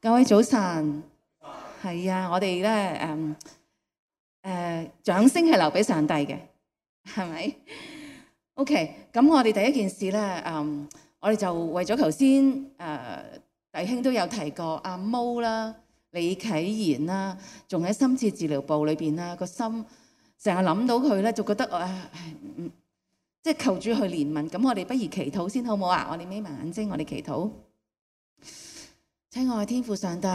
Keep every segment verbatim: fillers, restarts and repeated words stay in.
各位早晨，係啊，我哋咧誒誒掌聲係留俾上帝嘅，係咪 ？OK， 咁我哋第一件事咧，誒、嗯，我哋就為咗頭先誒弟兄都有提過阿毛啦、李啟賢啦，仲喺深切治療部裏邊啦，個心成日諗到佢咧，就覺得誒，唔即係求主去憐憫。咁我哋不如祈禱先好唔好啊？我哋眯埋眼睛，我哋祈禱。親愛天父上帝，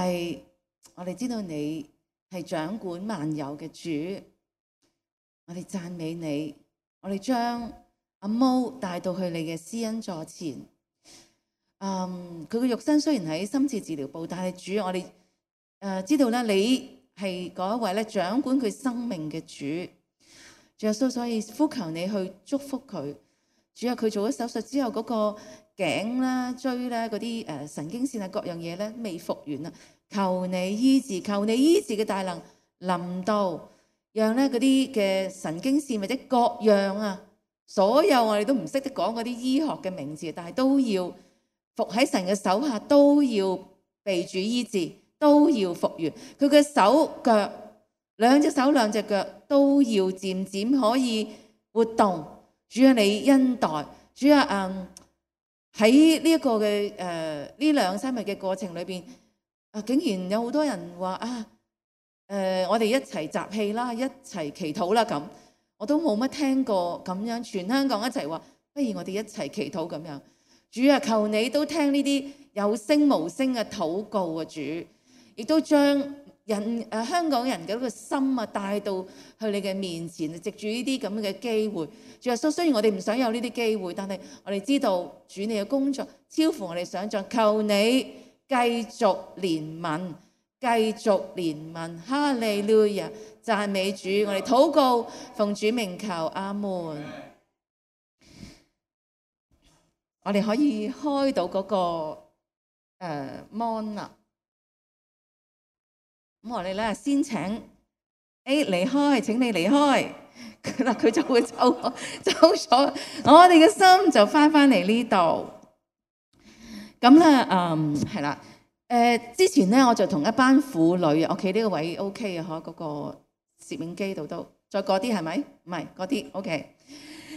我哋知道你係掌管萬有嘅主，我哋讚美你，我哋將阿毛帶到去你嘅施恩座前。嗯，佢嘅肉身雖然喺深切治療部，但係主，我哋誒、呃、知道咧，你係嗰一位咧掌管佢生命嘅主。主耶穌，所以呼求你去祝福佢。主啊，佢做咗手術之後嗰、那個頸啦、椎啦嗰啲誒神經線啊各樣嘢咧未復原啊，求你醫治，求你醫治嘅大能臨到，讓咧嗰啲嘅神經線或者各樣啊，所有我哋都唔識得講嗰啲醫學嘅名字，但係都要服喺神嘅手下，都要被主醫治，都要復原。佢嘅手腳兩隻手兩隻腳都要漸漸可以活動。主啊，你恩待，主啊，嗯。喺呢一個嘅誒呢兩三日嘅過程裏邊，啊竟然有好多人話啊誒、呃，我哋一齊集氣啦，一齊祈禱啦咁，我都冇乜聽過咁樣，全香港一齊話，不如我哋一齊祈禱咁樣。主啊，求你都聽呢啲有聲無聲嘅禱告啊，主，亦都將人誒、呃、香港人嘅嗰個心啊帶到去你嘅面前，藉住呢啲咁嘅機會。主耶穌，雖然我哋唔想有呢啲機會，但係我哋知道主你嘅工作超乎我哋想象，求你繼續憐憫，繼續憐憫，哈利路亞，讚美主，我哋禱告奉主名求，阿門。我哋可以開到嗰、那個誒 mon 啦，咁、呃、我哋咧先請 A 離開，請你離開。嗱，佢就會走走咗，我哋嘅心就翻翻嚟呢度。咁咧，嗯，係啦，誒、呃，之前咧我就同一班婦女，我企呢個位 OK 啊，嗬，嗰個攝影機度都，再過啲係咪？唔係嗰啲 OK。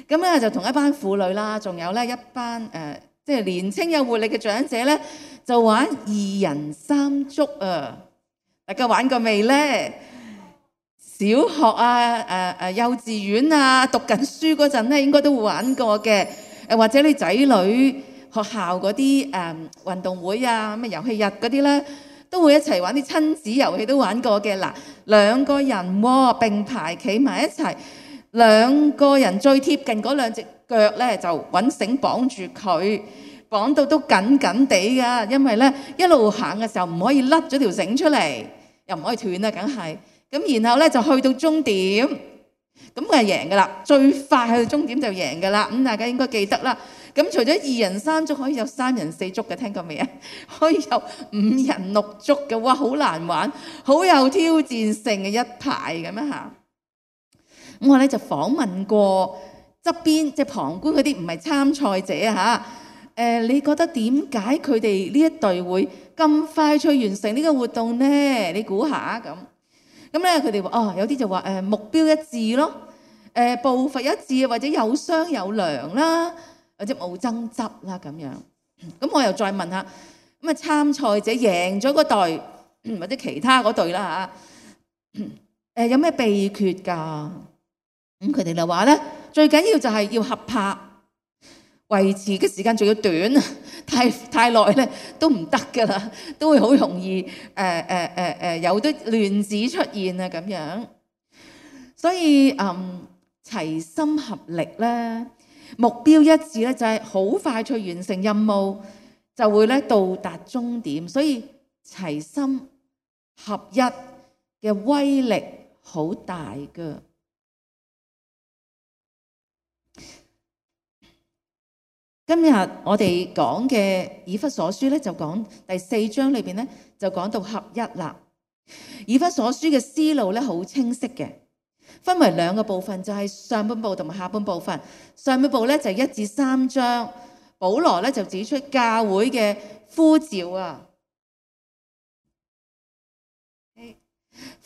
咁咧就同一班婦女啦，仲有咧一班誒、呃，即係年青有活力嘅長者咧，就玩二人三足啊！大家玩過未咧？小學啊、誒誒幼稚園啊，讀緊書嗰陣咧，應該都會玩過嘅。誒或者你仔女學校嗰啲誒運動會啊、咩遊戲日嗰啲咧，都會一齊玩啲親子遊戲都玩過嘅。嗱，兩個人喎並排企埋一齊，兩個人最貼近嗰兩隻腳咧，就揾繩綁住佢，綁到都緊緊地噶，因為咧一路行嘅時候唔可以甩咗條繩出嚟，又唔可以斷啊，梗係。咁然後咧就去到終點，咁佢係贏噶啦，最快去到終點就贏噶啦。咁大家應該記得啦。咁除咗二人三足，可以有三人四足嘅，聽過未啊？可以有五人六足嘅，哇，好難玩，好有挑戰性嘅一排咁樣嚇。咁我咧就訪問過側邊即係旁觀嗰啲唔係參賽者啊嚇。誒，你覺得點解佢哋呢一隊會咁快脆完成呢個活動呢？你估下咁。咁咧，佢哋話哦，有啲就話誒目標一致咯，誒步伐一致，或者有商有量啦，或者冇爭執啦咁樣。咁我又再問下，咁啊參賽者贏咗嗰隊或者其他嗰隊啦嚇，誒有咩秘訣㗎？咁佢哋就話咧，最緊要就係要合拍，維持嘅時間仲要短，太太耐咧都唔得噶啦，都會好容易誒誒誒誒有啲亂子出現啊咁樣。所以嗯齊心合力咧，目標一致咧，就係好快脆完成任務，就會咧到達終點。所以齊心合一嘅威力好大噶。今日我哋講嘅以弗所書咧，就講第四章裏邊咧，就講到合一啦。以弗所書嘅思路咧好清晰嘅，分為兩個部分，就係上半部同埋下半部分。上半部咧就一至三章，保羅咧就指出教會嘅呼召啊，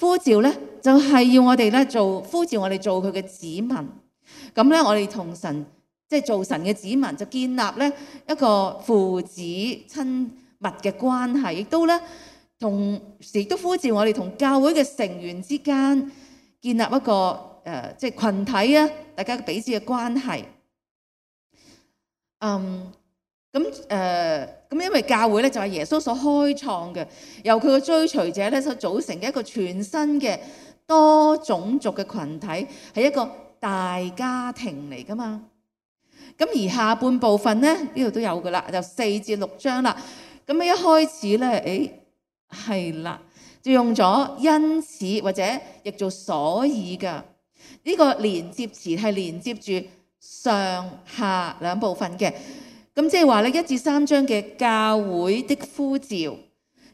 呼召咧就係要我哋咧做呼召我哋做佢嘅子民。咁咧我哋同神即係做神嘅子民，就建立咧一個父子親密嘅關係，亦都咧同時都呼召我哋同教會嘅成員之間建立一個誒、呃、即係群體啊，大家彼此嘅關係。嗯，咁誒咁，因為教會咧就係耶穌所開創嘅，由佢嘅追隨者咧所組成嘅一個全新嘅多種族嘅群體，係一個大家庭嚟噶嘛。咁而下半部分咧呢度都有噶啦，就四至六章啦。咁一開始咧，誒係啦，就用咗因此或者譯做所以噶呢、這個連接詞係連接住上下兩部分嘅。咁即係話咧，一至三章嘅教會的呼召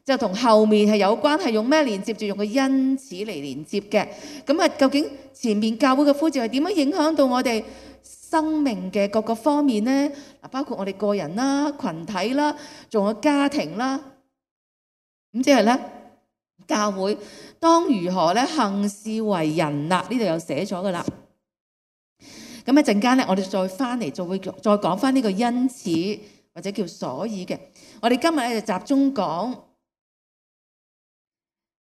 就同後面係有關，係用咩連接住？用個因此嚟連接嘅。咁啊，究竟前面教會嘅呼召係點樣影響到我哋生命嘅各個方面呢？嗱，包括我哋個人啦、群體啦，仲有家庭啦。咁即係咧，教會當如何咧行事為人啦？呢度有寫咗噶啦。咁一陣間咧，我哋再翻嚟，就會再講翻呢個因此或者叫所以嘅。我哋今日咧就集中講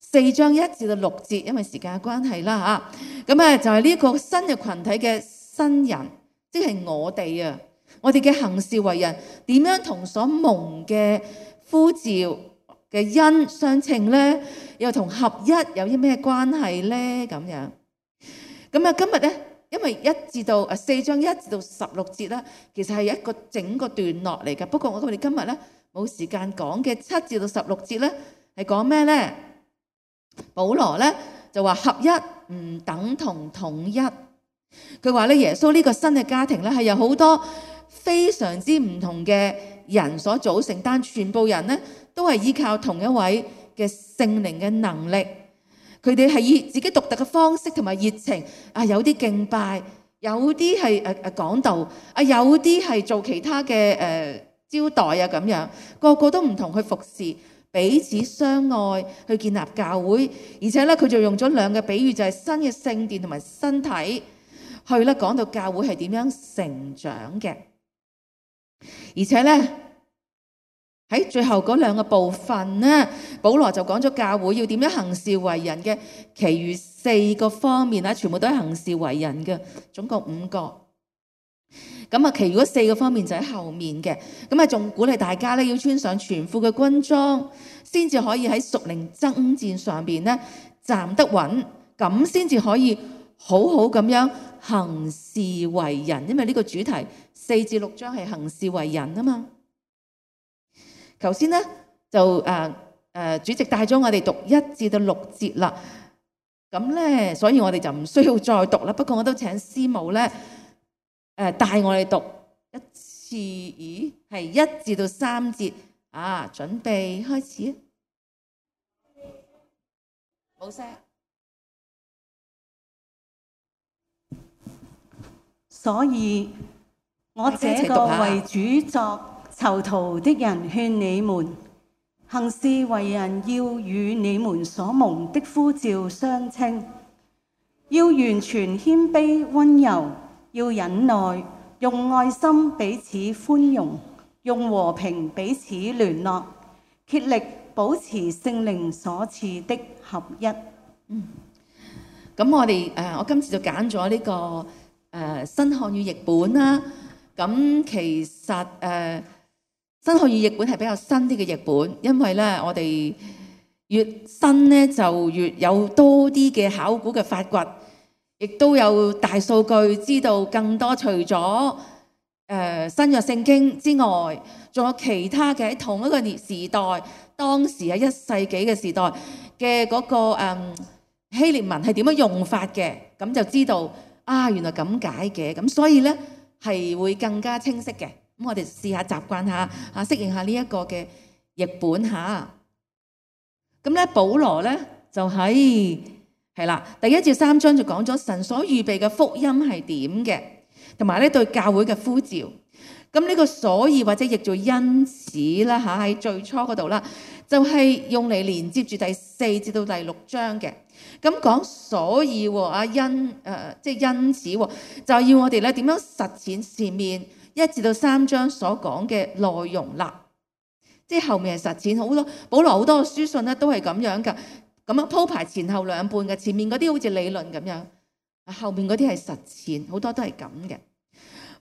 四章一至到六節，因為時間嘅關係啦嚇。咁啊就係呢個新嘅群體嘅新人，即係我哋啊，我哋嘅行事為人點樣同所蒙嘅呼召嘅恩相稱咧？又同合一有啲咩關係咧？咁樣咁啊，今日咧。因為一至到誒四章一至到十六節啦，其實係一個整個段落嚟嘅。不過我哋今日咧冇時間講嘅七至到十六節咧係講咩咧？保羅咧就話合一唔等同統一。佢話咧耶穌呢個新嘅家庭咧係有好多非常之唔同嘅人所組成，但全部人咧都係依靠同一位嘅聖靈嘅能力。佢哋係以自己獨特嘅方式同埋熱情啊，有啲敬拜，有啲係誒誒講道，啊有啲係做其他嘅誒、呃、招待啊咁樣，個個都唔同去服侍，彼此相愛，去建立教會。而且咧，佢就用咗兩個比喻，就係、是、新嘅聖殿同埋身體，去咧講到教會係點樣成長嘅。而且咧。喺最後嗰兩個部分呢，保羅就講咗教會要點樣行事為人嘅，其餘四個方面啊，全部都係行事為人嘅，總共五個。咁啊，其餘嗰四個方面就喺後面嘅。咁啊，仲鼓勵大家咧要穿上全副嘅軍裝，先至可以喺屬靈爭戰上邊咧站得穩，咁先至可以好好咁樣行事為人。因為呢個主題四至六章係行事為人啊嘛。頭先咧就誒誒、呃、主席帶咗我哋讀一至到六節啦，咁咧所以我哋就唔需要再讀啦。不過我都請師母咧誒帶我哋讀一次，咦係一至到三節啊，準備開始。冇聲。所以我這個為主作囚徒的人勸你們，行事為人要與你們所蒙的呼召相稱，要完全謙卑溫柔，要忍耐，用愛心彼此寬容，用和平彼此聯絡，竭力保持聖靈所賜的合一。嗯，咁我哋誒，我今次就揀咗呢個誒、呃、新漢語譯本啦。咁其實誒。呃新漢語譯本係比較新啲嘅譯本，因為咧我哋越新咧就越有多啲嘅考古嘅發掘，亦都有大數據知道更多。除咗誒、呃、新約聖經之外，仲有其他嘅喺同一個年時代，當時喺一世紀嘅時代嘅嗰、那個誒、嗯、希臘文係點樣用法嘅，咁就知道啊原來咁解嘅，咁所以咧係會更加清晰嘅。咁我哋試下習慣下，啊適應下呢一個嘅譯本嚇。咁咧，保羅咧就喺係啦，第一至三章就講咗神所預備嘅福音係點嘅，同埋咧對教會嘅呼召。咁呢個所以或者譯做因此啦嚇，喺最初嗰度啦，就係用嚟連接住第四至到第六章嘅。咁講所以喎，啊因誒即係因此喎，就要我哋咧點樣實踐前面一至到三章所講嘅內容啦。即係後面係實踐好多，保羅好多書信咧都係咁樣噶，咁樣鋪排前後兩半嘅。前面嗰啲好似理論咁樣，後面嗰啲係實踐，好多都係咁嘅。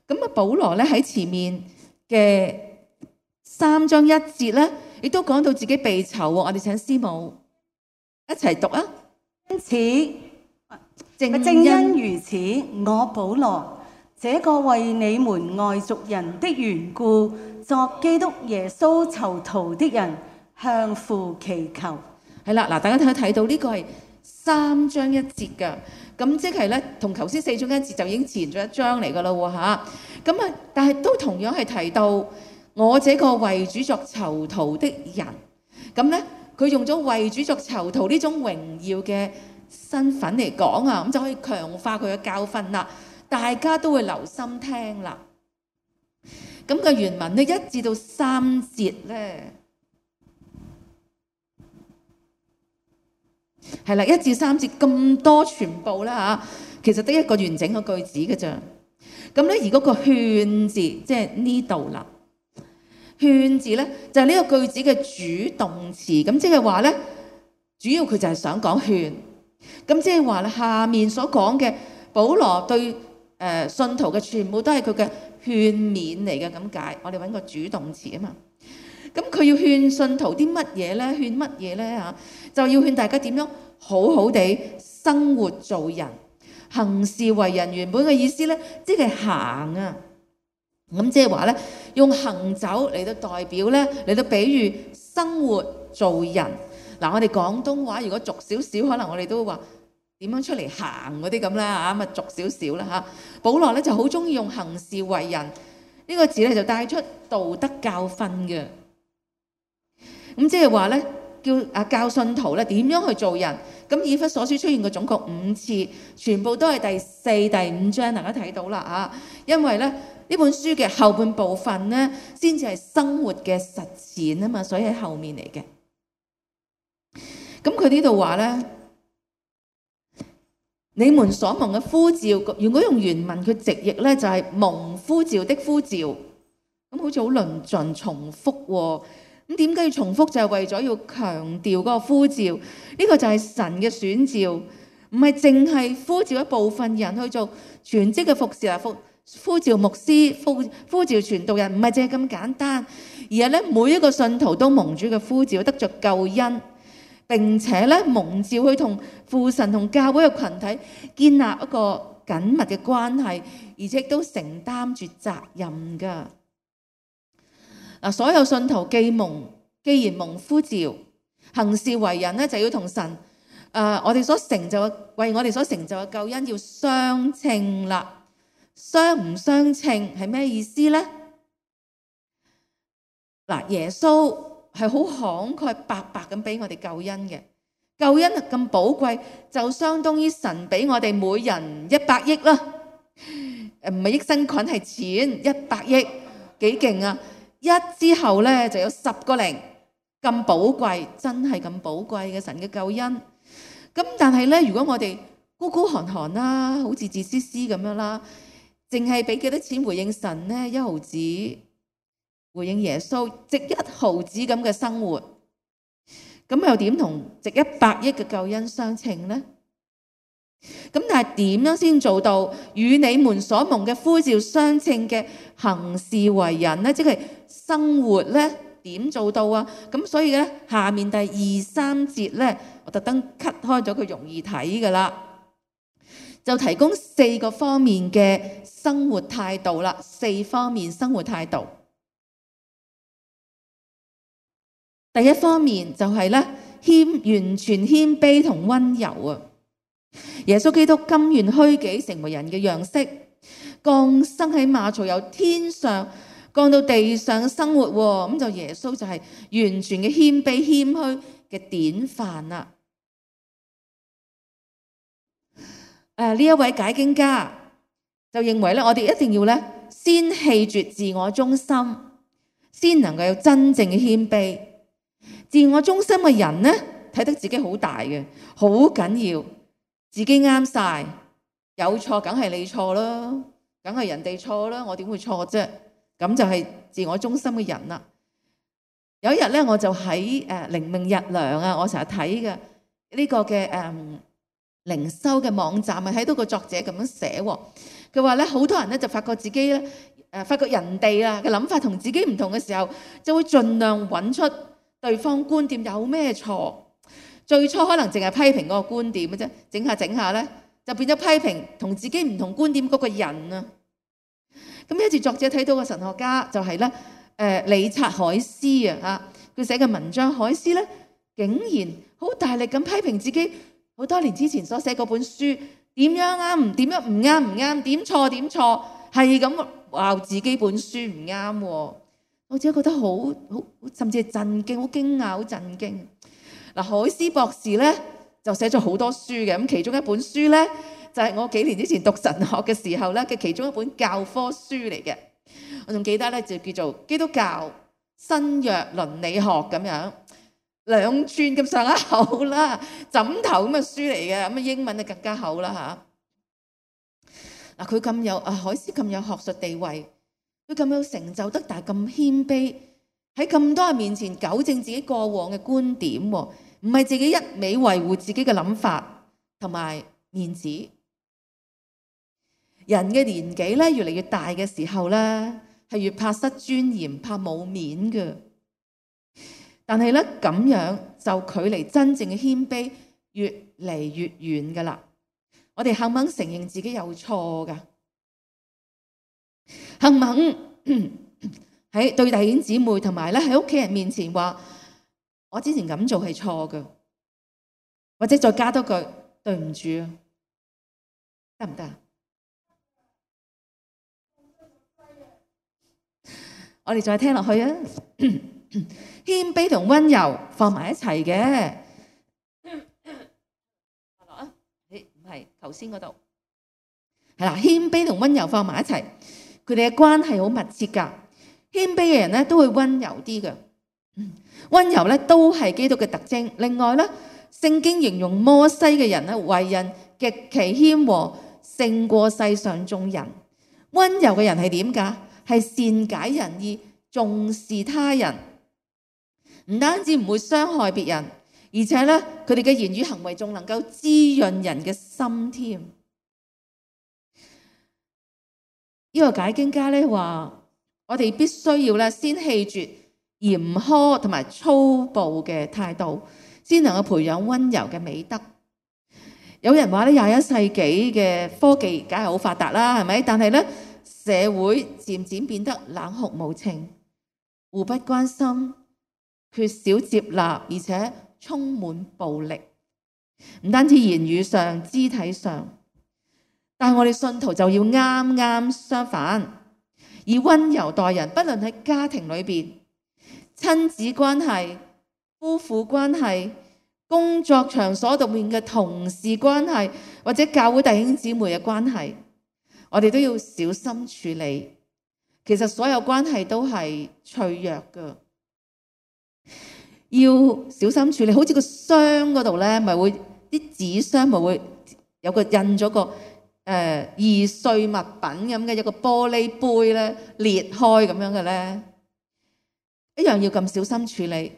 咁啊，保羅咧喺前面嘅三章一節咧，亦都講到自己被囚喎。我哋請師母一齊讀啊！因此，正正因如此，我保羅這個為你們外族人的緣故，作基督耶穌囚徒的人，向父祈求。係啦，嗱，大家睇睇到呢個係三章一節㗎，咁即係咧同頭先四章一節就已經前咗一章嚟㗎啦喎嚇。咁啊，但係都同樣係提到我這個為主作囚徒的人，咁咧。佢用咗為主作囚徒呢種榮耀嘅身份嚟講啊，咁就可以強化佢嘅教訓啦。大家都會留心聽啦。咁個原文呢，一至到三節咧，係啦，一至三節咁多全部啦嚇，其實得一個完整嘅句子嘅咋。咁咧而嗰個勸字，即係呢度啦。勸字咧就係呢個句子嘅主動詞，咁即係話咧，主要佢就係想講勸，咁即係話咧下面所講嘅保羅對誒信徒嘅全部都係佢嘅勸勉嚟嘅咁解。我哋揾個主動詞啊嘛，咁佢要勸信徒啲乜嘢咧？勸乜嘢咧嚇？就要勸大家點樣好好地生活做人，行事為人。原本嘅意思咧，即係行啊。咁即係話咧，用行走嚟到代表咧，嚟到比喻生活做人。嗱，我哋廣東話如果俗少少，可能我哋都會話點樣出嚟行嗰啲咁啦嚇，咁啊俗少少啦嚇。保羅咧就好中意用行事為人呢個字咧，就帶出道德教訓嘅。咁即係話咧，叫啊教信徒咧點樣去做人。咁以弗所書出現過總共五次，全部都係第四、第五章，大家睇到啦啊。因為咧呢本書嘅後半部分咧，先至係生活嘅實踐啊嘛，所以喺後面嚟嘅。咁佢呢度話咧，你們所蒙嘅呼召，如果用原文佢直譯咧，就係蒙呼召的呼召。咁好似好論盡重複喎。咁點解要重複？就係為咗要強調嗰個呼召，呢個就係神嘅選召，唔係淨係呼召一部分人去做全職嘅服侍啊，呼呼召牧師、呼呼召傳道人，唔係淨係咁簡單，而係咧每一個信徒都蒙主嘅呼召，得着救恩，並且咧蒙召去同父神同教會嘅群體建立一個緊密嘅關係，而且都承擔住責任噶。嗱，所有信徒既蒙，既然蒙呼召，行事為人咧就要同神，誒、呃，我哋所成就嘅，為我哋所成就嘅救恩要相稱啦。相唔相稱係咩意思咧？嗱，耶穌係好慷慨白白咁俾我哋救恩嘅，救恩咁寶貴，就相當於神俾我哋每人一百億啦。誒，唔係益生菌，係錢，一百億，幾勁啊！一之後咧就有十個零，咁寶貴，真係咁寶貴嘅神嘅救恩。咁但係咧，如果我哋孤孤寒寒啦，好似自私私咁樣啦，淨係俾幾多錢回應神咧？一毫子回應耶穌，值一毫子咁嘅生活，咁又點同值一百億嘅救恩相稱咧？咁但係點樣先做到與你們所蒙嘅呼召相稱嘅行事為人咧？即係生活咧，點做到啊？咁所以咧，下面第二三節咧，我特登 cut 開咗佢，容易睇噶啦，就提供四個方面嘅生活態度啦。四方面生活態度，第一方面就係咧謙，完全謙卑同溫柔啊。耶穌基督甘願虛己，成為人嘅樣式，降生喺馬槽，由天上降到地上生活。咁就耶穌就係完全嘅謙卑謙虛嘅典範啦。誒，呢一位解經家就認為咧，我哋一定要咧先棄絕自我中心，先能夠有真正嘅謙卑。自我中心嘅人呢，睇得自己好大嘅，好緊要，自己啱晒，有錯梗係你錯啦，梗係人哋錯啦，我點會錯啫？咁就係自我中心嘅人啦。有一日咧，我就喺誒靈命日糧啊，我成日睇嘅呢個嘅誒靈修嘅網站啊，睇到個作者咁樣寫喎。佢話咧，好多人咧就發覺自己咧誒，發覺人哋啊嘅諗法同自己唔同嘅時候，就會盡量揾出對方觀點有咩錯。最初可能淨係批評嗰個觀點嘅啫，整下整下咧就變咗批評同自己唔同觀點嗰個人啊。咁有一次作者睇到個神學家就係咧。誒理察海斯啊，嚇佢寫嘅文章，海斯咧竟然好大力咁批評自己好多年之前所寫嗰本書點樣啱，點樣唔啱唔啱，點錯點錯，係咁話自己本書唔啱。我自己覺得好好，甚至係震驚，好驚訝，好震驚。嗱，海斯博士咧就寫咗好多書嘅，咁其中一本書咧就係我幾年之前讀神學嘅時候咧嘅其中一本教科書嚟嘅。我仲記得咧，就叫做基督教新約倫理學咁樣，兩寸咁上下厚啦，枕頭咁嘅書嚟嘅，咁啊英文就更加厚啦嚇。嗱，佢咁有啊，海斯咁有學術地位，佢咁有成就得，但係咁謙卑，喺咁多人面前糾正自己過往嘅觀點，唔係自己一味維護自己嘅諗法同埋面子。人嘅年紀咧越嚟越大嘅時候咧，係越怕失尊嚴，怕冇面嘅。但係咧咁樣就距離真正嘅謙卑越嚟越遠噶啦。我哋肯唔肯承認自己有錯噶？肯唔肯喺對弟兄姊妹同埋咧喺屋企人面前話我之前咁做係錯嘅，或者再加多句對唔住啊，得唔得啊？我哋再聽落去啊！謙卑同溫柔放埋一齊嘅。誒唔係頭先嗰度係啦，謙卑同溫柔放埋一齊，佢哋嘅關係好密切㗎。謙卑嘅人咧都會溫柔啲嘅，溫柔咧都係基督嘅特徵。另外咧，聖經形容摩西嘅人咧為人極其謙和，勝過世上眾人。溫柔嘅人係點㗎？係善解人意，重視他人，唔單止唔會傷害別人，而且咧佢哋嘅言語行為仲能夠滋潤人嘅心添。呢個解經家咧話，我哋必須要咧先棄絕嚴苛同埋粗暴嘅態度，先能夠培養溫柔嘅美德。有人話咧，廿一世紀嘅科技梗係好發達啦，係咪？但係咧，社會漸漸變得冷酷無情，互不關心，缺少接納，而且充滿暴力。唔單止言語上、肢體上，但係我哋信徒就要啱啱相反，以溫柔待人。不論喺家庭裏邊、親子關係、夫婦關係、工作場所度面嘅同事關係，或者教會弟兄姊妹嘅關係，我哋都要小心處理。其實所有關係都係脆弱㗎，要小心處理。好似個箱嗰度咧，咪會啲紙箱咪會有個印咗個誒、呃、易碎物品咁嘅，有個玻璃杯咧裂開咁樣嘅咧，一樣要咁小心處理。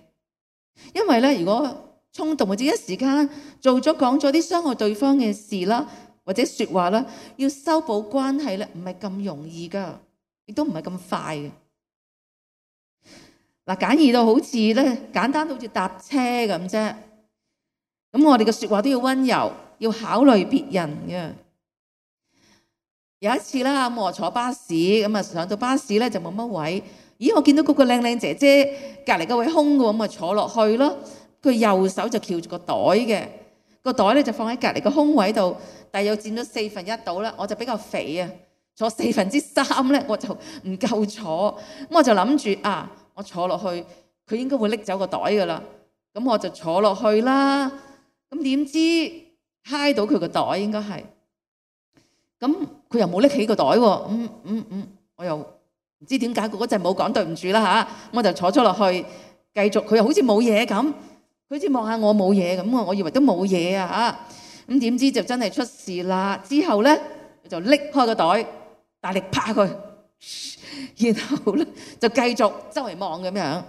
因為咧，如果衝動或者一時間做咗講咗啲傷害對方嘅事啦，或者說話啦，要修補關係咧，唔係咁容易噶，亦都唔係咁快嘅。嗱，簡易到好似咧，簡單到好似搭車咁啫。咁我哋嘅說話都要溫柔，要考慮別人嘅。有一次啦，咁我坐巴士，咁啊上到巴士咧就冇乜位，咦，我見到嗰個靚靚姐姐隔籬嗰位空嘅，咁啊坐落去咯。佢右手就翹住個袋嘅，個袋咧就放喺隔籬個空位度，但係又佔咗四分一度啦。我就比較肥啊，坐四分之三咧，我就唔夠坐。咁我就諗住啊，我坐落去，佢應該會拎走個袋噶啦。咁我就坐落去啦。咁點知揩到佢個袋，應該係。咁佢又冇拎起個袋喎。嗯嗯嗯，我又唔知點解嗰陣冇講對唔住啦嚇。我就坐咗落去。繼續，佢又好似冇嘢咁，佢好似望下我冇嘢咁啊，我以為都冇嘢啊嚇，咁點知就真係出事啦。之後咧佢就拎開個袋，大力拍佢，然後咧就繼續周圍望咁樣。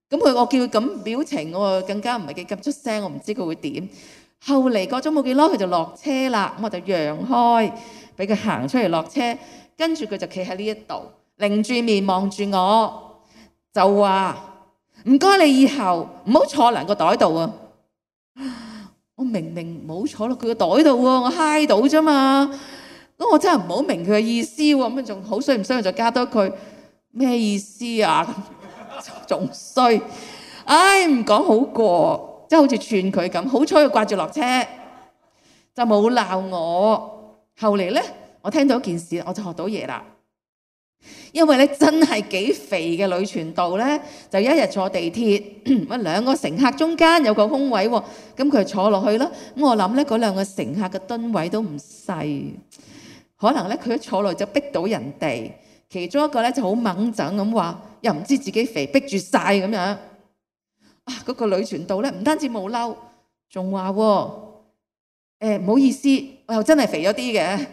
咁佢我叫佢咁表情，我更加唔係幾急出聲，我唔知佢會點。後嚟過咗冇幾耐，佢就落車啦，咁我就讓開，俾佢行出嚟落車。跟住佢就企喺呢一度，擰住面望住我，就話唔該你以後唔好坐兩個袋度啊！我明明冇坐落佢個袋度喎，我揩到啫嘛。咁我真係唔好明佢嘅意思喎，咁仲好衰唔衰？就加多句咩意思啊？仲衰，唉唔講好過，即係好似串佢咁。好彩佢掛住落車，就冇鬧我。後嚟咧，我聽到一件事，我就學到嘢啦。因為咧真係幾肥嘅女傳道咧，就一日坐地鐵，乜兩個乘客中間有個空位喎，咁佢就坐落去啦。咁我諗咧，嗰兩個乘客嘅噸位都唔細，可能咧佢一坐落就逼到人哋。其中一個咧就好猛整咁話，又唔知自己肥，逼住晒咁樣。啊，嗰個女傳道咧唔單止冇嬲，仲話喎，誒唔好意思，我又真係肥咗啲嘅，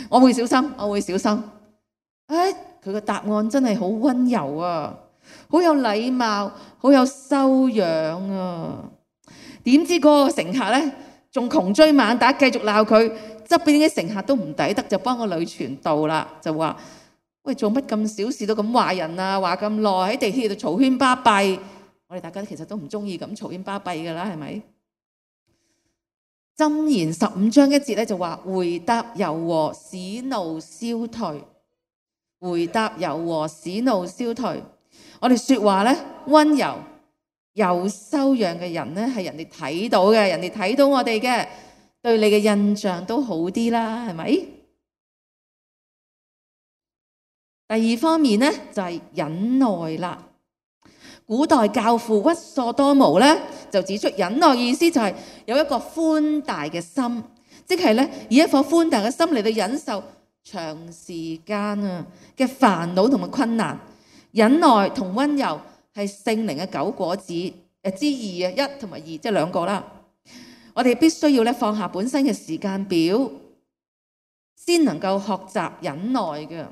我會小心，我會小心。誒，佢個答案真係好溫柔啊，好有禮貌，好有修養啊。點知嗰個乘客咧仲窮追猛打，繼續鬧佢。側邊啲乘客都唔抵得，就幫個女傳道啦，就話：喂，做乜咁小事都咁話人啊？話咁耐喺地鐵度嘈喧巴閉，我哋大家其實都唔中意咁嘈喧巴閉噶啦，係咪？箴言十五章一節咧就話：回答柔和，使怒消退。回答柔和，使怒消退。我哋說話咧溫柔有修養嘅人咧，係人哋睇到嘅，人哋睇到我哋嘅，對你嘅印象都好啲啦，係咪？第二方面咧就係忍耐啦。古代教父屈索多姆咧就指出，忍耐意思就係有一個寬大嘅心，即係咧以一顆寬大嘅心嚟到忍受長時間啊嘅煩惱同埋困難。忍耐同溫柔係聖靈嘅九果子誒之二啊，一同埋二即係兩個啦。我哋必須要咧放下本身嘅時間表，先能夠學習忍耐嘅。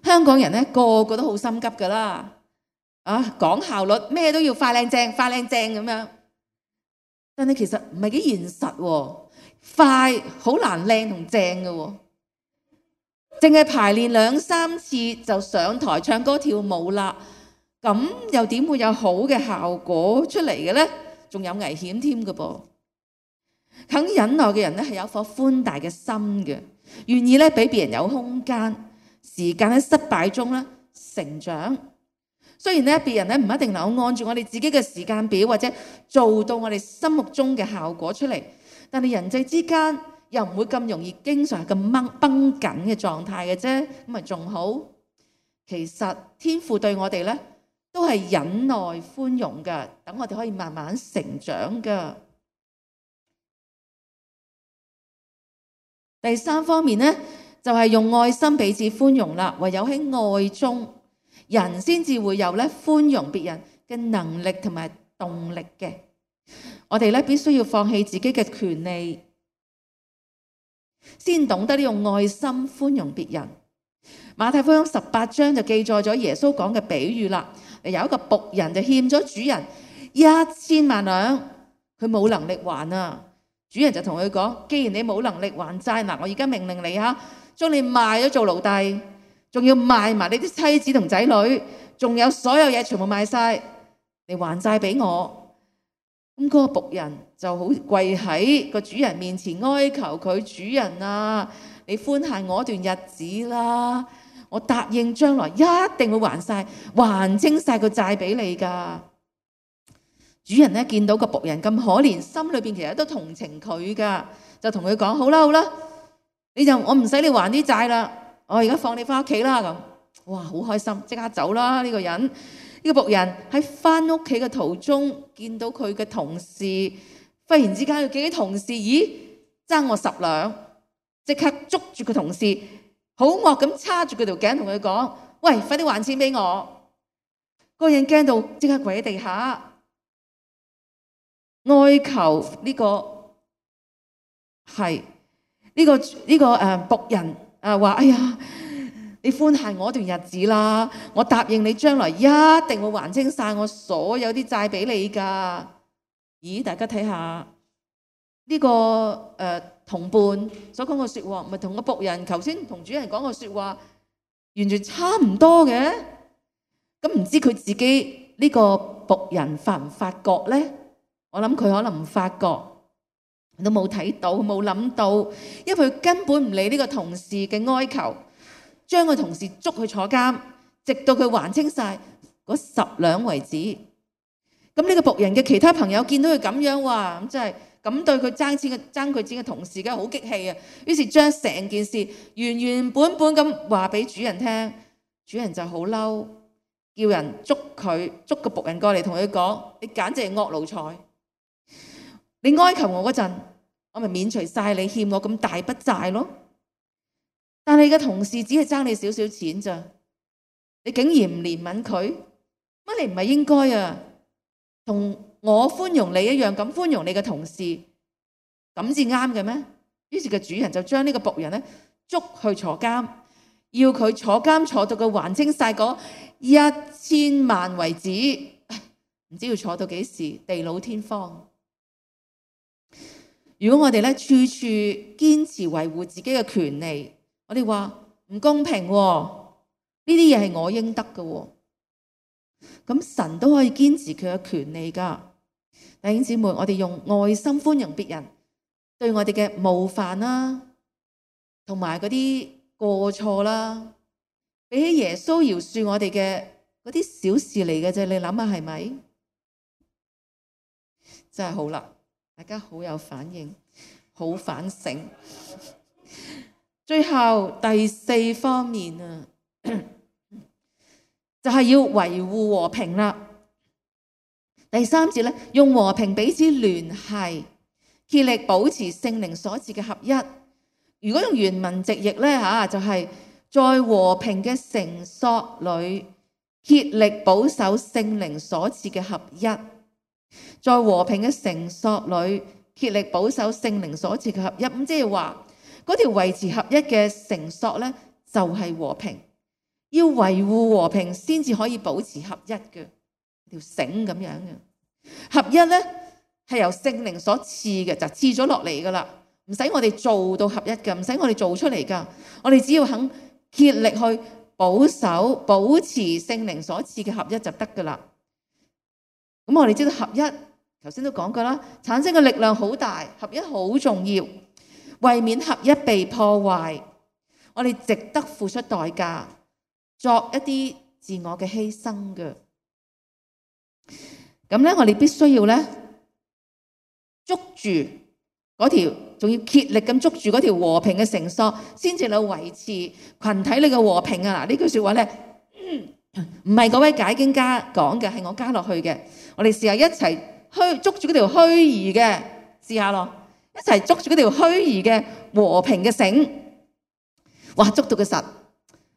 香港人咧個個都好心急噶啦，啊講效率，咩都要快靚正，快靚正咁樣。但係其實唔係幾現實喎，快好難靚同正嘅喎。淨係排練兩三次就上台唱歌跳舞啦，咁又點會有好嘅效果出嚟嘅呢？仲有危險添嘅噃。肯忍耐嘅人咧係有一顆寬大嘅心嘅，願意咧俾別人有空間、時間喺失敗中咧成長。雖然咧別人咧唔一定能夠按住我哋自己嘅時間表或者做到我哋心目中嘅效果出嚟，但係人際之間又唔會咁容易經常係咁繃繃緊嘅狀態嘅啫，咁咪仲好。其實天父對我哋咧都係忍耐寬容嘅，等我哋可以慢慢成長嘅。第三方面咧就係用愛心彼此寬容啦，唯有喺愛中，人先至會有咧寬容別人嘅能力同埋動力嘅。我哋咧必須要放棄自己嘅權利，先懂得用愛心寬容別人。馬太福音十八章就記載咗耶穌講嘅比喻啦。有一個僕人就欠咗主人一千萬兩，佢冇能力還啊。主人就同佢講：既然你冇能力還債，嗱，我而家命令你吓，將你賣咗做奴隸，仲要賣埋你啲妻子同仔女，仲有所有嘢全部賣晒，你還債俾我。咁嗰個僕人就好跪喺個主人面前哀求佢：主人啊，你寬限我一段日子啦，我答應將來一定會還晒，還清晒個債俾你噶。主人咧見到個僕人咁可憐，心裏邊其實都同情佢噶，就同佢講：好啦好啦，你就我唔使你還啲債啦，我而家放你翻屋企啦咁。哇，好開心，即刻走啦！呢個人，呢個僕人喺翻屋企嘅途中，見到佢嘅同事，忽然之間佢見啲同事，咦，爭我十兩，即刻捉住個同事，好惡咁叉住佢條頸，同佢講：喂，快啲還錢俾我！個人驚到即刻跪喺地下，哀求呢、這個係呢、這個呢、這個誒僕人誒話：哎呀，你寬限我一段日子啦，我答應你將來一定會還清晒我所有啲債俾你㗎。咦，大家睇下呢個誒、呃、同伴所講嘅説話，唔係同個僕人頭先同主人講嘅説話完全差唔多嘅。咁唔知佢自己呢個僕人發唔發覺咧？我諗佢可能唔發覺，都冇睇到，冇諗到，因為佢根本唔理呢個同事嘅哀求，將個同事捉去坐監，直到佢還清晒嗰十兩為止。咁呢個僕人嘅其他朋友見到佢咁樣，哇！咁真係咁對佢爭錢嘅爭佢錢嘅同事，梗係好激氣啊！於是將成件事原原本本咁話俾主人聽，主人就好嬲，叫人捉佢，捉個僕人過嚟同佢講：你簡直係惡奴才！你哀求我嗰陣，我咪免除晒你欠我咁大筆債咯。但係你嘅同事只係爭你少少錢咋，你竟然唔憐憫佢，乜你唔係應該啊？同我寬容你一樣咁寬容你嘅同事，咁至啱嘅咩？於是個主人就將呢個僕人咧捉去坐監，要佢坐監坐到佢還清晒嗰一千萬為止，唔知要坐到幾時，地老天荒。如果我哋咧處處堅持維護自己嘅權利，我哋話唔公平喎，呢啲嘢係我應得嘅喎，咁神都可以堅持佢嘅權利㗎。弟兄姊妹，我哋用愛心寬容別人對我哋嘅冒犯啦，同埋嗰啲過錯啦，比起耶穌饒恕我哋嘅嗰啲小事嚟嘅啫。你諗下係咪？真係好啦，大家好有反應，好反省。最後第四方面啊，就係要維護和平啦。第三節咧，用和平彼此聯繫，竭力保持聖靈所賜嘅合一。如果用原文直譯咧嚇，就係在和平嘅繩索裏竭力保守聖靈所賜嘅合一。在和平嘅繩索裏竭力保守聖靈所賜嘅合一。咁即係話嗰條維持合一嘅繩索咧，就係和平。要維護和平先至可以保持合一嘅條繩咁樣嘅。合一咧係由聖靈所賜嘅，就賜咗落嚟噶啦，唔使我哋做到合一嘅，唔使我哋做出嚟噶，我哋只要肯竭力去保守保持聖靈所賜嘅合一就得噶啦。咁我哋知道合一，頭先都講過啦，產生嘅力量好大，合一好重要。為免合一被破壞，我哋值得付出代價，作一啲自我嘅犧牲嘅。咁咧，我哋必須要咧捉住嗰條，仲要竭力咁捉住嗰條和平嘅繩索，先至能維持群體裏嘅和平啊！嗱，呢句説話咧，唔係嗰位解經家講嘅，係我加落去嘅。我哋試下一齊虛捉住嗰條虛擬嘅，試下咯，一齊捉住嗰條虛擬嘅和平嘅繩。哇！捉到嘅實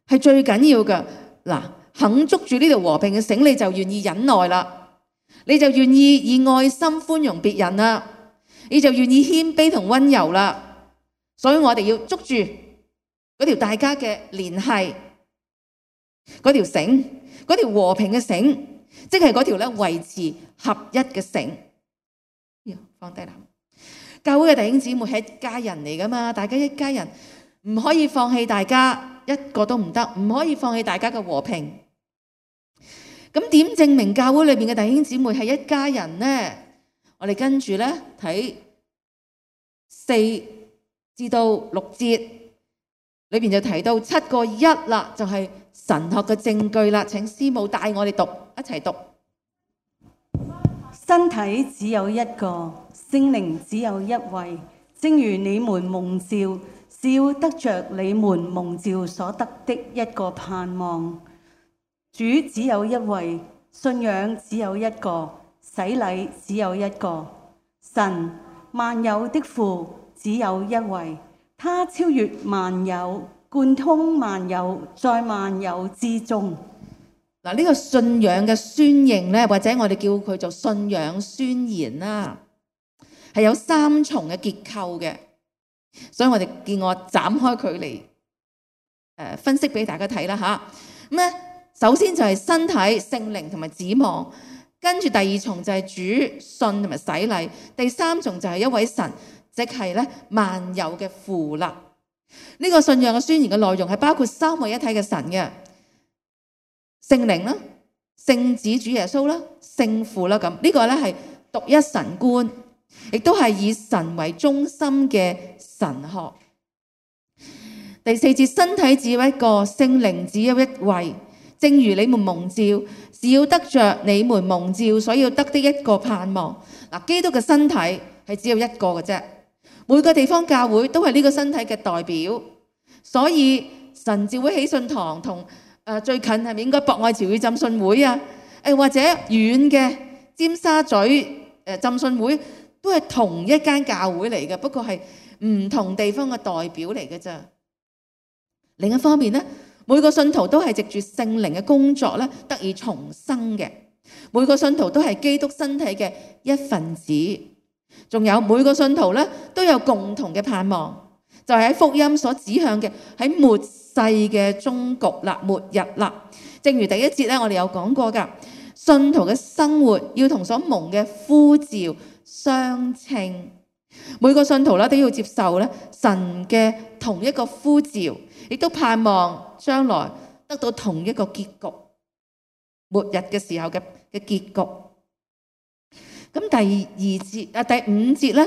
係最緊要嘅。嗱，肯捉住呢條和平嘅繩，你就願意忍耐啦。你就願意以愛心寬容別人啦，你就願意謙卑同溫柔啦。所以我哋要捉住嗰條大家嘅聯繫，嗰條繩，嗰條和平嘅繩，即係嗰條咧維持合一嘅繩。放低啦，教會嘅弟兄姊妹係一家人嚟噶嘛，大家一家人唔可以放棄大家，一個都唔得，唔可以放棄大家嘅和平。咁點證明教會裏面嘅弟兄姊妹係一家人呢？我哋跟住咧睇四至到六節裏邊就提到七個一啦，就係神學嘅證據啦。請師母帶我哋讀，一齊讀。身體只有一個，聖靈只有一位，正如你們蒙召，是要得着你們蒙召所得的一個盼望。主只有一位，信仰只有一個，洗禮只有一個。神萬有的父只有一位，他超越萬有，貫通萬有，在萬有之中。嗱，呢個信仰嘅宣認咧，或者我哋叫佢做信仰宣言啦，係有三重嘅結構嘅，所以我哋見我斬開佢嚟誒分析俾大家睇啦嚇。咁咧，首先就係身體、聖靈同埋指望，跟住第二重就係主信同埋洗禮，第三重就係一位神，即係咧萬有嘅父啦。呢個信仰嘅宣言嘅內容係包括三位一體嘅神嘅。聖靈啦、聖子主耶穌啦、聖父啦，咁呢個咧係獨一神觀，亦都係以神為中心嘅神學。第四節，身體只有一個，聖靈只有一位，正如你們蒙召，是要得着你們蒙召所要得的一個盼望。嗱，基督嘅身體係只有一個嘅啫，每個地方教會都係呢個身體嘅代表，所以神召會喜信堂同。誒最近係咪應該博愛潮語浸信會啊？誒或者遠嘅尖沙咀誒浸信會都係同一間教會嚟嘅，不過係唔同地方嘅代表嚟嘅咋。另一方面咧，每個信徒都係藉住聖靈嘅工作咧得以重生嘅，每個信徒都係基督身體嘅一份子，仲有每個信徒咧都有共同嘅盼望，就係喺福音所指向嘅喺末世嘅終局啦，末日啦。正如第一節咧，我哋有講過噶，信徒嘅生活要同所蒙嘅呼召相稱。每個信徒咧都要接受咧神嘅同一個呼召，亦都盼望將來得到同一個結局，末日嘅時候嘅嘅結局。咁第二節啊，第五節咧，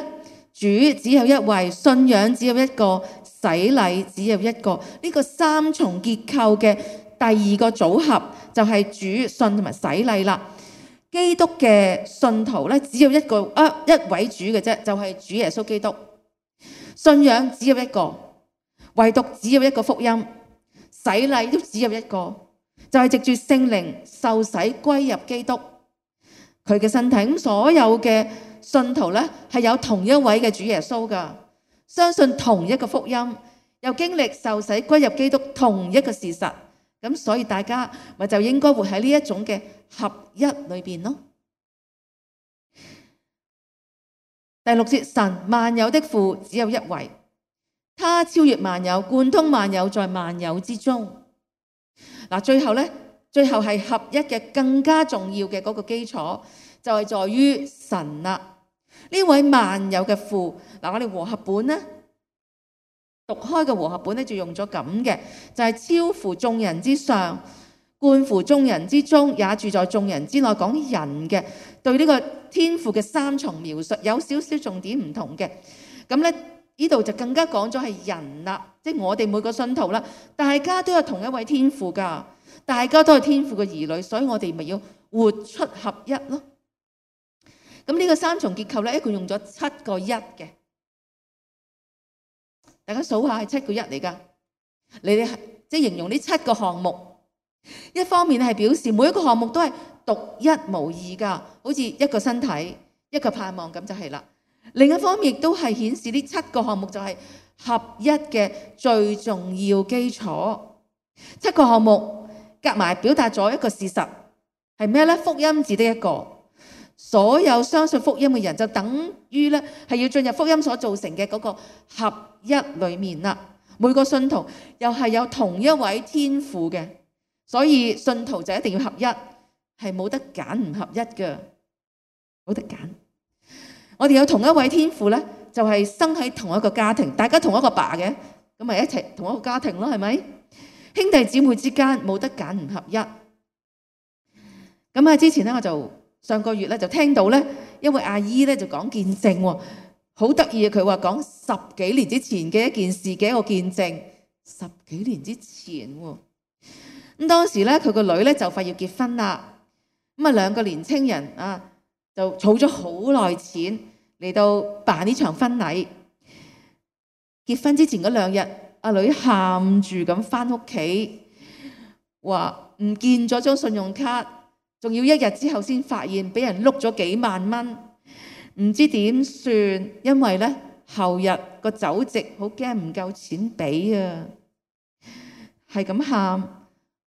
主只有一位，信仰只有一個，洗禮只有一個。呢個三重結構嘅第二個組合就係主信同埋洗禮啦。基督嘅信徒咧只有一個啊一位主嘅啫，就係主耶穌基督。信仰只有一個，唯獨只有一個福音，洗禮都只有一個，就係藉住聖靈受洗歸入基督佢嘅身體。咁所有嘅信徒咧係有同一位嘅主耶穌噶，相信同一個福音，又經歷受洗歸入基督同一個事實，咁所以大家咪就應該活喺呢一種嘅合一裏邊咯。第六節，神萬有的父只有一位，他超越萬有，貫通萬有，在萬有之中。嗱，最後咧，最後係合一嘅更加重要嘅嗰個基礎，就係在於神啦。呢位萬有嘅父，嗱，我哋和合本咧讀開嘅和合本咧就用咗咁嘅，就係超乎眾人之上，貫乎眾人之中，也住在眾人之內。講人嘅對呢個天父嘅三重描述有少少重點唔同嘅。咁咧呢度就更加講咗係人啦，即係我哋每個信徒啦，大家都有同一位天父噶，大家都係天父嘅兒女，所以我哋咪要活出合一咯。咁呢個三重結構咧，一共用咗七個一嘅，大家數下係七個一嚟噶。你哋即係形容呢七個項目，一方面係表示每一個項目都係獨一無二噶，好似一個身體、一個盼望咁就係啦。另一方面亦都係顯示呢七個項目就係合一嘅最重要基礎。七個項目夾埋表達咗一個事實係咩咧？福音只得一個。所有相信福音嘅人就等於咧係要進入福音所造成嘅嗰個合一裏面啦。每個信徒又係有同一位天父嘅，所以信徒就一定要合一，係冇得揀唔合一嘅，冇得揀。我哋有同一位天父咧，就係生喺同一個家庭，大家同一個爸嘅，咁咪一齊同一個家庭咯，係咪？兄弟姊妹之間冇得揀唔合一。咁啊，之前咧我就。上個月咧就聽到咧一位阿姨咧就講見證喎，好得意啊！佢話講十幾年之前嘅一件事嘅一個見證，十幾年之前喎。咁當時咧佢個女咧就快要結婚啦，咁啊兩個年青人啊就儲咗好耐錢嚟到辦呢場婚禮。結婚之前嗰兩日，阿女喊住咁返屋企，話唔見咗張信用卡。仲要一日之後先發現俾人碌咗幾萬蚊，唔知點算，因為咧後日個酒席好驚唔夠錢俾啊，係咁喊。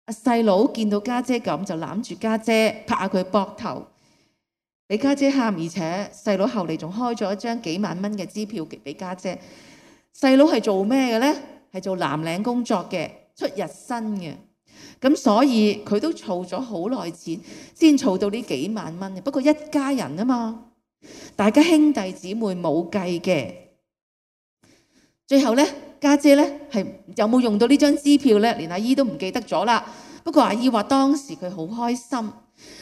阿細佬見到家姐咁就攬住家姐，拍下佢膊頭，俾家姐喊，而且細佬後嚟仲開咗一張幾萬蚊嘅支票俾家姐。細佬係做咩嘅咧？係做藍領工作嘅，出日薪嘅。咁所以佢都儲咗好耐錢，先儲到呢幾萬蚊嘅。不過一家人啊嘛，大家兄弟姊妹冇計嘅。最後咧，家姐咧係有冇用到呢張支票咧？連阿姨都唔記得咗啦。不過阿姨話當時佢好開心，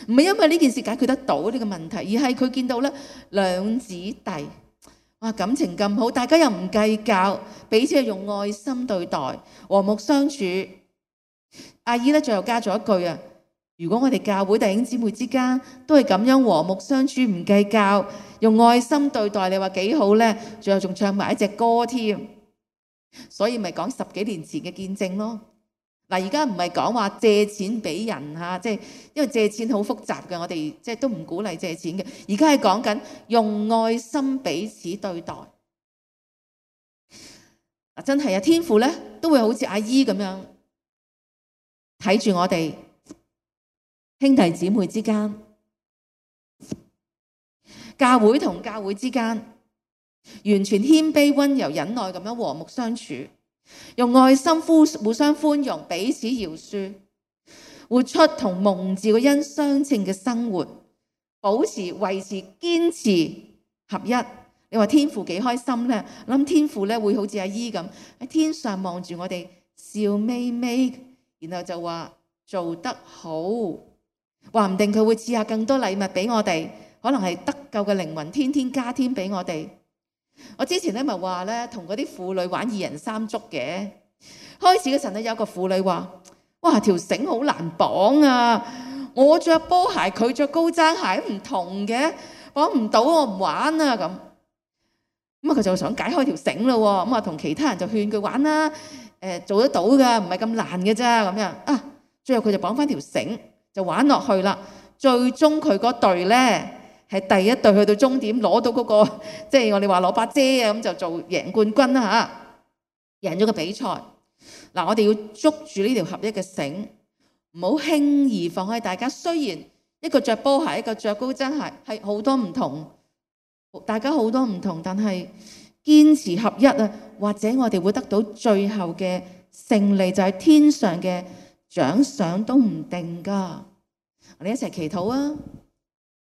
唔係因為呢件事解決得到呢個問題，而係佢見到咧兩姊弟，哇，感情咁好，大家又唔計較，彼此係用愛心對待，和睦相處。阿姨咧最後加咗一句啊，如果我哋教會弟兄姊妹之間都係咁樣和睦相處，唔計較，用愛心對待，你話幾好咧？最後仲唱埋一隻歌添，所以咪講十幾年前嘅見證咯。嗱，而家唔係講話借錢俾人嚇，即係因為借錢好複雜嘅，我哋即係都唔鼓勵借錢嘅。而家係講緊用愛心彼此對待。嗱，真係啊，天父咧都會好似阿姨咁樣睇住我哋兄弟姊妹之間，教會同教會之間，完全謙卑、溫柔、忍耐咁樣和睦相處，用愛心互互相寬容，彼此饒恕，活出同蒙召嘅恩相稱嘅生活，保持、維持、堅持合一。你話天父幾開心呢？諗天父咧會好似阿姨咁喺天上望住我哋笑眯眯，然後就話做得好，話唔定佢會賜下更多禮物俾我哋，可能係得救嘅靈魂天天加添俾我哋。我之前咧咪話咧同嗰啲婦女玩二人三足嘅，開始嗰陣咧有一個婦女話：哇，條繩好難綁啊！我着波鞋，佢着高踭鞋唔同嘅，綁唔到，我唔玩啊咁。咁啊佢就想解開條繩咯，咁啊同其他人就勸佢玩啦，誒做得到噶，唔係咁難嘅啫咁樣啊。最後佢就綁翻條繩就玩落去啦。最終佢嗰隊咧係第一隊去到終點攞到嗰個，即係我哋話攞把遮啊，咁就做贏冠軍啦嚇，贏咗個比賽。嗱，我哋要捉住呢條合一嘅繩，唔好輕易放開大家。雖然一個着波鞋，一個着高踭鞋，係好多唔同。大家好多唔同，但係堅持合一啊，或者我哋會得到最後嘅勝利，就係天上嘅獎賞都唔定噶。我哋一齊祈禱啊！